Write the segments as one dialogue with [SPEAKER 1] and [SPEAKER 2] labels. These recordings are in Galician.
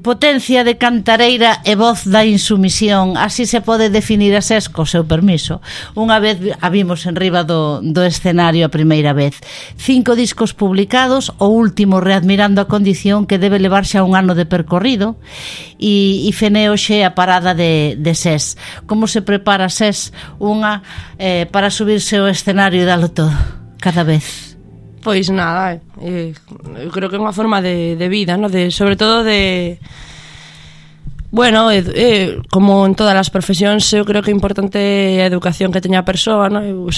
[SPEAKER 1] Potencia de cantareira e voz da insumisión, así se pode definir a SES co seu permiso. Unha vez a vimos en riba do escenario a primeira vez. 5 discos publicados, o último readmirando a condición que debe levar xa un ano de percorrido, e Feneo xe a parada de SES. Como se prepara SES para subirse ao escenario e dalo todo cada vez?
[SPEAKER 2] Pois nada, eu creo que é unha forma de vida, ¿no? Sobre todo de... Bueno, como en todas as profesións, eu creo que é importante a educación que teña a persoa, ¿no? Eu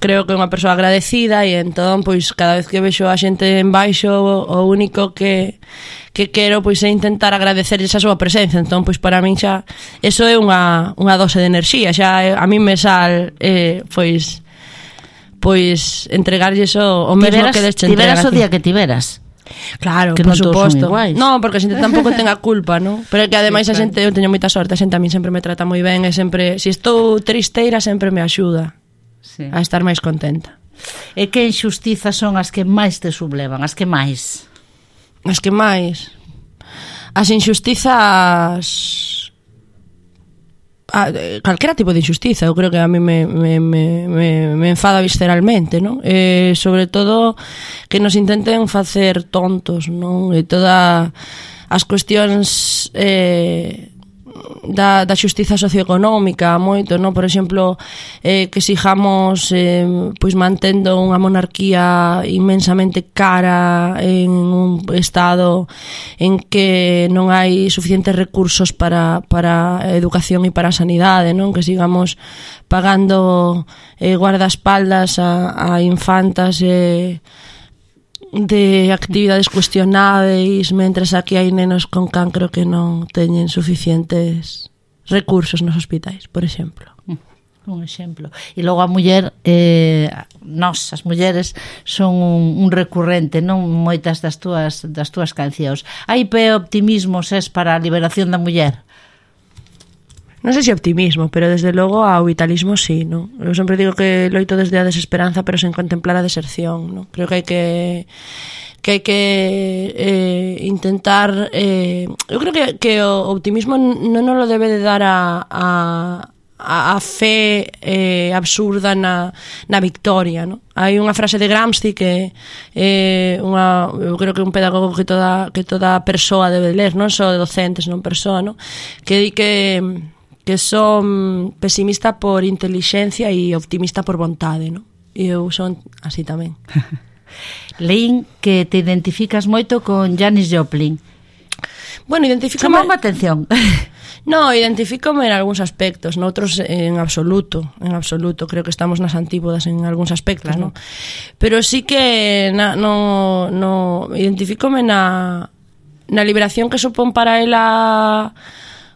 [SPEAKER 2] creo que é unha persoa agradecida, e entón, pois, cada vez que vexo a xente en baixo, o único que quero, pois, é intentar agradecerles a súa presencia. Entón, pois, para min xa, eso é unha dose de enerxía, xa a min me sal, pois entregarlle o mesmo que les entregan.
[SPEAKER 1] Tiveras o día que tiveras.
[SPEAKER 2] Claro,
[SPEAKER 1] que
[SPEAKER 2] por
[SPEAKER 1] non
[SPEAKER 2] suposto. No, porque a xente tampouco ten a culpa, ¿no? Pero é que ademais a xente, eu teño moita sorte, a xente a min sempre me trata moi ben, e sempre, se estou tristeira, sempre me axuda a estar máis contenta.
[SPEAKER 1] E que injustizas son as que máis te sublevan? As que máis?
[SPEAKER 2] As que máis? As injustizas... calquera tipo de injustiza, eu creo que a mí me enfada visceralmente, non? Sobre todo que nos intenten facer tontos, non? E todas as cuestións da xustiza socioeconómica moito, non? Por exemplo, que sigamos pois mantendo unha monarquía inmensamente cara en un estado en que non hai suficientes recursos para a educación e para a sanidade, non? Que sigamos pagando guardaespaldas a infantas de actividades cuestionáveis, mentras aquí hai nenos con cancro que non teñen suficientes recursos nos hospitais, por exemplo.
[SPEAKER 1] Un exemplo. E logo a muller, nós, as mulleres, son un recurrente, non? Moitas das túas cancións. Hai pé optimismo, SES, para a liberación da muller?
[SPEAKER 2] Non sei se optimismo, pero desde logo ao vitalismo sí, non? Eu sempre digo que loito desde a desesperanza, pero sen contemplar a deserción, non? Creo que hai que intentar... eu creo que o optimismo non nos lo debe de dar a fe absurda na victoria, non? Hai unha frase de Gramsci que eu creo que é un pedagogo que toda persoa debe ler, non só docentes, non persoa, non? Que di que son pesimista por intelixencia e optimista por vontade, non? E eu son así tamén.
[SPEAKER 1] Leín que te identificas moito con Janis Joplin.
[SPEAKER 2] Bueno, identifícame...
[SPEAKER 1] Chamou a atención.
[SPEAKER 2] No, identifícome en algúns aspectos, noutros en absoluto, creo que estamos nas antípodas en algúns aspectos, claro. ¿No? Pero sí que identifícome na liberación que supón para ela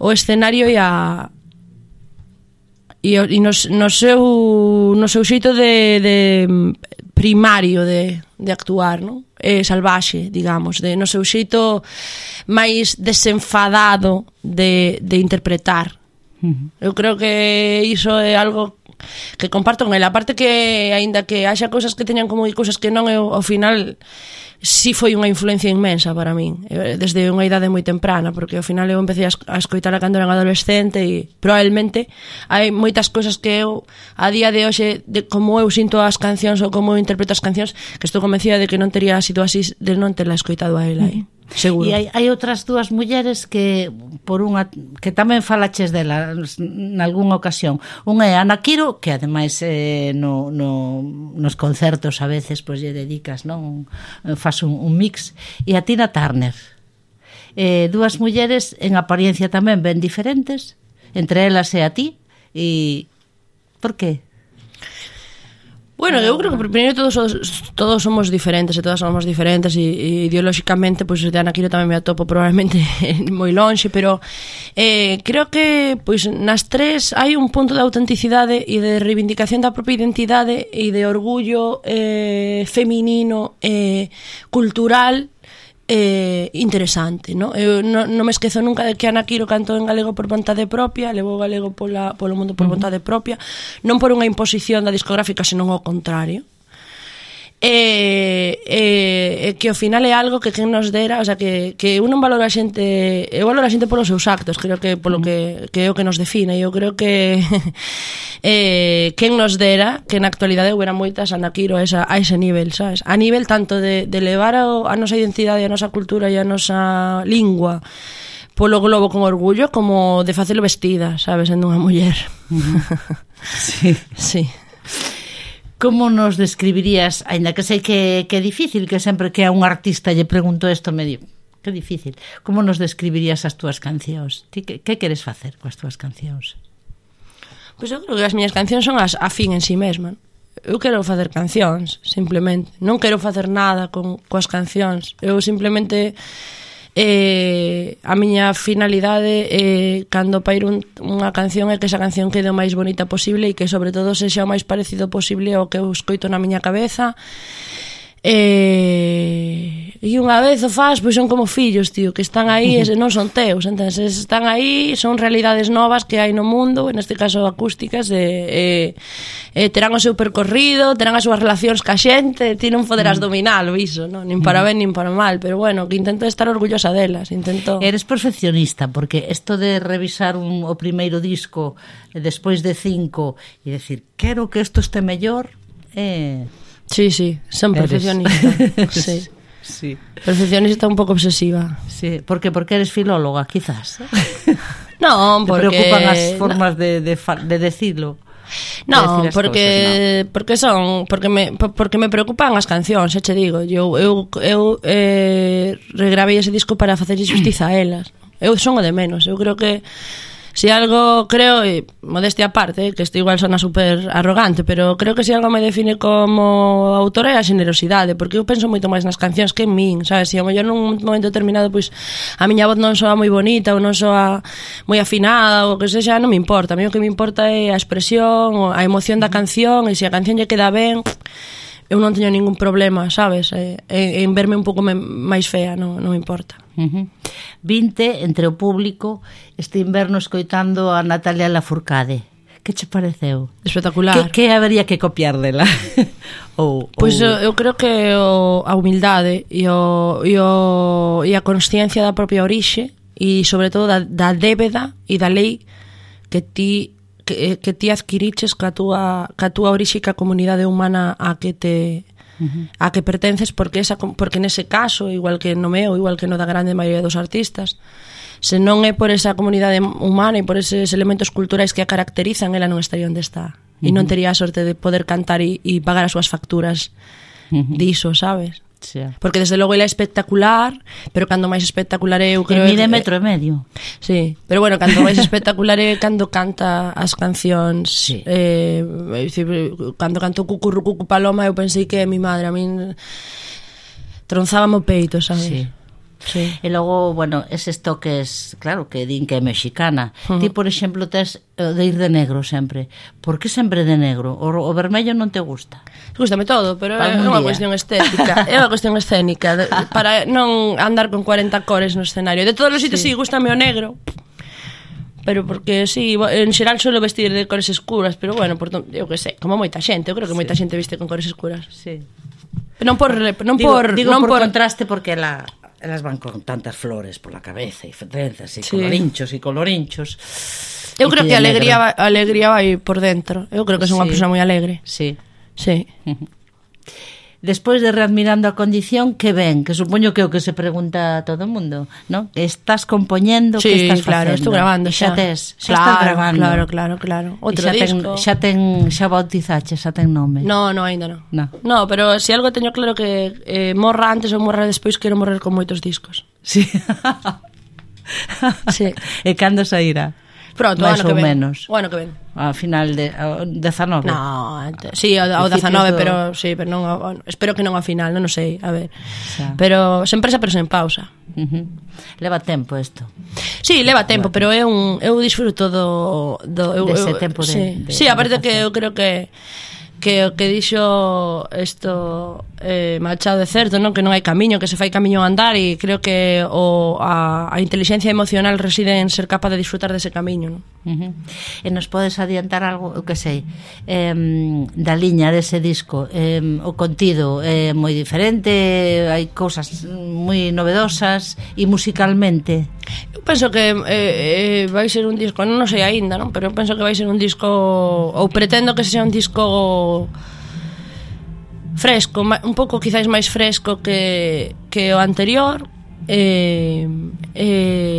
[SPEAKER 2] o escenario e no seu xeito de primario de actuar, non? Salvaxe, digamos, no seu xeito máis desenfadado de interpretar. Eu creo que iso é algo que comparto con ela. Aparte que, aínda que haxa cousas que teñan como cousas que non, eu, ao final, sí foi unha influencia inmensa para min, desde unha idade moi temprana, porque ao final eu empecé a escoitala cando era adolescente, e probablemente hai moitas cousas que eu, a día de hoxe, de como eu sinto as cancións ou como eu interpreto as cancións, que estou convencida de que non teria sido así de non terla escoitado a ela aí. Seguro.
[SPEAKER 1] E hai outras dúas mulleres que que tamén falaches dela nalgúnha ocasión. Unha é Ana Quiro, que ademais nos concertos a veces pois lle dedicas, non? Fas un mix. E a Tina Turner. Dúas mulleres en apariencia tamén ben diferentes, entre elas e a ti. E por qué?
[SPEAKER 2] Bueno, eu creo que primeiro todos somos diferentes e todas somos diferentes, e ideolóxicamente pois de Ana Quiro tamén me atopo probablemente moi lonxe, pero creo que pois nas tres hai un punto de autenticidade e de reivindicación da propia identidade e de orgullo feminino e cultural interesante, ¿no? Eu non me esquezo nunca de que Ana Quiro cantou en galego por vontade propia, levou o galego polo mundo por vontade propia, non por unha imposición da discográfica, senón ao contrario. e que ao final é algo que quen nos dera, o sea, que un non valora a xente, eu valoro a xente polos seus actos, creo que polo que é o que nos define. Eu creo que quen nos dera que na actualidade houbera moitas anaquiro a ese nivel, sabes? A nivel tanto de levar a nosa identidade, a nosa cultura e a nosa lingua polo globo con orgullo, como de facelo vestida, sabes, sendo unha muller.
[SPEAKER 1] Sí.
[SPEAKER 2] Sí.
[SPEAKER 1] Como nos describirías, aínda que sei que é difícil, que sempre que a un artista lle pregunto isto medio, que difícil, como nos describirías as túas cancións? Ti que queres facer coas túas cancións?
[SPEAKER 2] Pois eu creo que as miñas cancións son a fin en si mesma. Eu quero facer cancións, simplemente. Non quero facer nada coas cancións. Eu simplemente a miña finalidade cando pairo unha canción é que esa canción quede o máis bonita posible e que sobre todo sexa o máis parecido posible ao que eu escoito na miña cabeza. E unha vez o faz, pois son como fillos, tío, que están aí e non son teus, entonces están aí, son realidades novas que hai no mundo, neste caso acústicas, terán o seu percorrido, terán as súas relacións ca xente, ti non poderás dominalo iso, non? Nin para ben nin para mal, pero bueno, que intento estar orgullosa delas, intento...
[SPEAKER 1] Eres perfeccionista, porque isto de revisar o primeiro disco despois de 5 e decir, quero que isto este mellor,
[SPEAKER 2] Sí, son perfeccionista. Sí.
[SPEAKER 1] Sí.
[SPEAKER 2] Perfeccionista un pouco obsesiva.
[SPEAKER 1] Sí, porque eres filóloga, quizás.
[SPEAKER 2] Non, porque
[SPEAKER 1] te preocupan as formas de decirlo.
[SPEAKER 2] Non, porque me preocupan as cancións, che digo. Eu regravei ese disco para facer xustiza a elas. Eu son o de menos. Eu creo que si algo, creo, modestia aparte, que isto igual sona super arrogante, pero creo que si algo me define como autora é a xenerosidade, porque eu penso moito máis nas cancións que en min, sabes? Se ao mellor nun momento determinado pois a miña voz non soa moi bonita ou non soa moi afinada ou que sexa, non me importa. A mí o que me importa é a expresión, a emoción da canción, e se a canción lle queda ben, eu non teño ningún problema, sabes? En verme un pouco máis fea, non me importa.
[SPEAKER 1] Vinte entre o público este inverno escoitando a Natalia Lafourcade. Que che pareceu?
[SPEAKER 2] Espectacular.
[SPEAKER 1] Que habería que copiar dela?
[SPEAKER 2] Pois eu creo que a humildade e a consciencia da propia orixe e sobre todo da débeda e da lei que ti adquiriches ca túa orixe e ca comunidade humana a que pertences, porque nese caso, igual que no meu, igual que no da grande maioría dos artistas, se non é por esa comunidade humana e por eses elementos culturais que a caracterizan, ela non estaría onde está. E non tería a sorte de poder cantar e pagar as súas facturas diso, sabes?
[SPEAKER 1] Sí.
[SPEAKER 2] Porque desde logo ela é espectacular, pero cando máis espectacular é, eu creo,
[SPEAKER 1] mide 1,5 m.
[SPEAKER 2] Sí, pero bueno, cando máis espectacular é cando canta as cancións.
[SPEAKER 1] Sí.
[SPEAKER 2] Cando cantou Cucurru Cucu Paloma, eu pensei que mi madre, a min tronzábame o peito, sabes?
[SPEAKER 1] Sí.
[SPEAKER 2] Sí.
[SPEAKER 1] E logo, bueno, eses toques, claro, que din que é mexicana. Ti, por exemplo, tes de ir de negro sempre. Por que sempre de negro? O vermello non te gusta?
[SPEAKER 2] Gústame todo, pero é unha cuestión estética. É unha cuestión escénica, para non andar con 40 cores no escenario. De todos os sitios, sí, gústame o negro, pero porque, sí, en xeral suelo vestir de cores escuras, pero bueno, eu que sei, como moita xente, eu creo que moita xente viste con cores escuras.
[SPEAKER 1] Sí.
[SPEAKER 2] Non por
[SPEAKER 1] contraste, porque elas van con tantas flores por la cabeza e trenzas e colorinchos.
[SPEAKER 2] Eu creo que a alegría vai por dentro. Eu creo que son unha persoa moi alegre.
[SPEAKER 1] Sí.
[SPEAKER 2] Sí.
[SPEAKER 1] Despois de Readmirando a Condición, que ven? Que supoño que é o que se pregunta a todo o mundo, non? Estás compoñendo, que estás facendo?
[SPEAKER 2] Sí, claro, estou grabando xa.
[SPEAKER 1] Estás grabando.
[SPEAKER 2] Claro. Outro disco.
[SPEAKER 1] Xa bautizache, xa ten nome?
[SPEAKER 2] No, aínda non. No, pero se algo teño claro que morra antes ou morra despois, quero morrer con moitos discos.
[SPEAKER 1] Sí.
[SPEAKER 2] Sí.
[SPEAKER 1] E cando sairá?
[SPEAKER 2] Pronto,
[SPEAKER 1] máis ou menos.
[SPEAKER 2] O ano que ven.
[SPEAKER 1] A final de 19.
[SPEAKER 2] No, sí, ao 19, pero sí, pero non, espero que non a final, non sei, a ver. Xa. Pero sen presa, pero sen pausa.
[SPEAKER 1] Leva tempo isto.
[SPEAKER 2] Sí, leva tempo, pero eu disfruto
[SPEAKER 1] dese tempo de
[SPEAKER 2] sí, aparte que eu creo que o que dixo isto Machado é certo, non? Que non hai camiño, que se fai camiño a andar, e creo que a inteligencia emocional reside en ser capaz de disfrutar dese camiño, non?
[SPEAKER 1] E nos podes adiantar algo, o que sei, da liña dese disco? O contido é moi diferente, hai cousas moi novedosas, e musicalmente?
[SPEAKER 2] Eu penso que vai ser un disco, non sei aínda, non? Pero eu penso que vai ser un disco, ou pretendo que sexa un disco fresco, un pouco quizáis máis fresco que o anterior.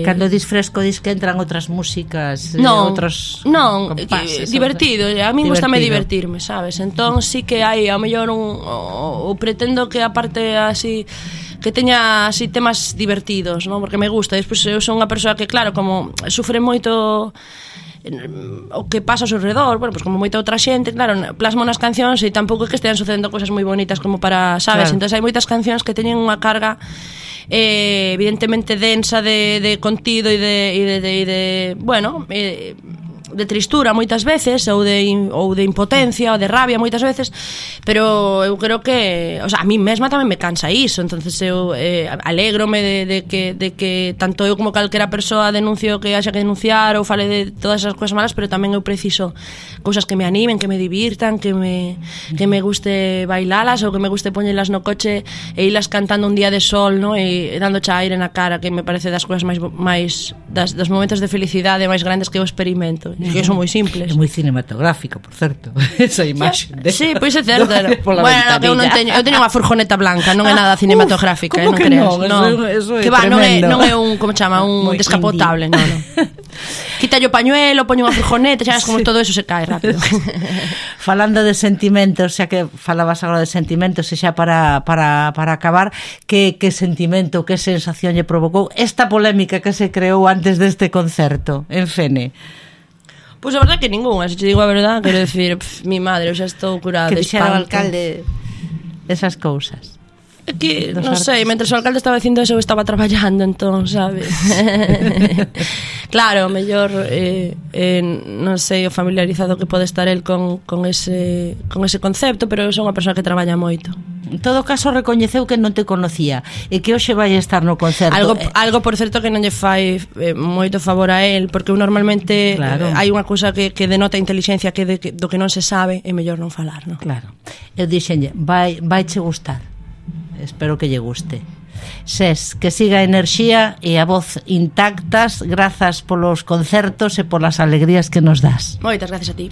[SPEAKER 1] Cando dis fresco, dis que entran outras músicas, outros compases,
[SPEAKER 2] divertido, a mí gustame divertirme, sabes? Entón sí que hai ao mellor ou pretendo que a parte así que teña así temas divertidos, non? Porque me gusta. Despois eu son unha persoa que, claro, como sufre moito o que pasa ao seu redor, bueno, pues como moita outra xente, claro, plasmo nas cancións e tampouco é que estean sucedendo cousas moi bonitas como para, sabes? Claro. Entón hai moitas cancións que teñen unha carga evidentemente densa de contido e de bueno, de tristura moitas veces, ou de impotencia ou de rabia moitas veces, pero eu creo que, o sea, a mí mesma tamén me cansa iso, entonces eu alégrome de que tanto eu como calquera persoa denuncio que haxa que denunciar ou fale de todas esas cousas malas, pero tamén eu preciso cousas que me animen, que me divirtan, que me guste bailalas, ou que me guste poñelas no coche e ilas cantando un día de sol, no? E dándoche aire na cara, que me parece das cousas máis dos momentos de felicidade máis grandes que eu experimento. Que son moi simples.
[SPEAKER 1] É moi cinematográfico, por certo. Esa imaxe.
[SPEAKER 2] Sí, pois é certo. Bueno, que eu non teño, eu teño unha furgoneta blanca, non é nada cinematográfica, non creas.
[SPEAKER 1] Eso é
[SPEAKER 2] que va, non é un, como chama, un descapotable, non. Quita o pañuelo, poño unha furgoneta, xa como todo eso se cae rápido.
[SPEAKER 1] Falando de sentimentos, xa que falabas agora de sentimentos, e xa para acabar, que sentimento, que sensación lle provocou esta polémica que se creou antes deste concerto en Fene?
[SPEAKER 2] Pois a verdade que ninguna, se te digo a verdade, quero decir, mi madre, eu xa estou curada de espanto.
[SPEAKER 1] Que dixera o alcalde esas cousas?
[SPEAKER 2] É que, non sei, mentre o alcalde estaba dicindo eso, eu estaba traballando, entón, sabes? Claro, mellor, non sei o familiarizado que pode estar el con ese concepto, pero eu sou unha persoa que traballa moito.
[SPEAKER 1] En todo caso, recoñeceu que non te conocía e que hoxe vai estar no concerto.
[SPEAKER 2] Algo por certo, que non lle fai moito favor a él, porque eu normalmente hai unha cousa que denota inteligencia que do que non se sabe é mellor non falar, non?
[SPEAKER 1] Claro. Eu dixenlle, vai che gustar. Espero que lle guste. Ses, que siga a enerxía e a voz intactas, grazas polos concertos e polas alegrías que nos das.
[SPEAKER 2] Moitas gracias a ti.